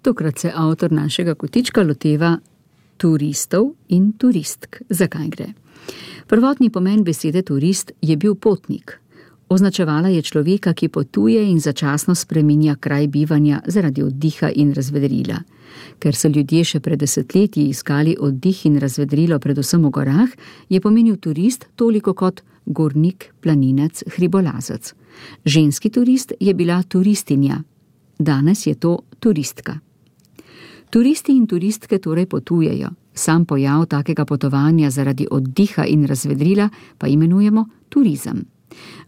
Tokrat se avtor našega kotička loteva turistov in turistk. Zakaj gre? Prvotni pomen besede turist je bil potnik. Označevala je človeka, ki potuje in začasno spreminja kraj bivanja zaradi oddiha in razvedrila. Ker so ljudje še pred desetletji iskali oddih in razvedrilo predvsem v gorah, je pomenil turist toliko kot gornik, planinec, hribolazec. Ženski turist je bila turistinja, danes je to turistka. Turisti in turistke torej potujejo. Sam pojav takega potovanja zaradi oddiha in razvedrila pa imenujemo turizem.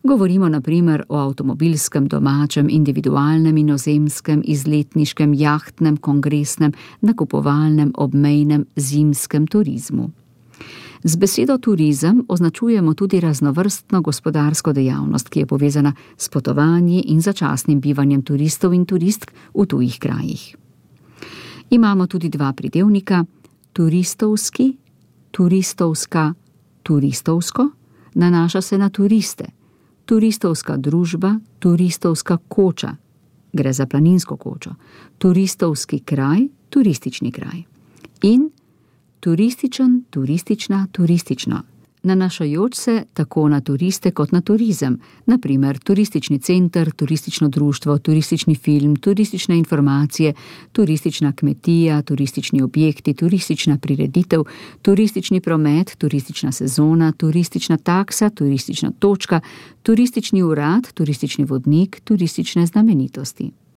Govorimo na primer o avtomobilskem, domačem, individualnem, inozemskem, izletniškem, jahtnem, kongresnem, nakupovalnem, obmejnem, zimskem turizmu. Z besedo turizem označujemo tudi raznovrstno gospodarsko dejavnost, ki je povezana s potovanji in začasnim bivanjem turistov in turistk v tujih krajih. Imamo tudi dva pridevnika, turistovski, turistovska, turistovsko, nanaša se na turiste. Turistovska družba, turistovska koča, gre za planinsko kočo, turistovski kraj, turistični kraj. In turističen, turistična, turistično, nanašajoč se tako na turiste kot na turizem, na primer turistični center, turistično društvo, turistični film, turistične informacije, turistična kmetija, turistični objekti, turistična prireditev, turistični promet, turistična sezona, turistična taksa, turistična točka, turistični urad, turistični vodnik, turistične znamenitosti.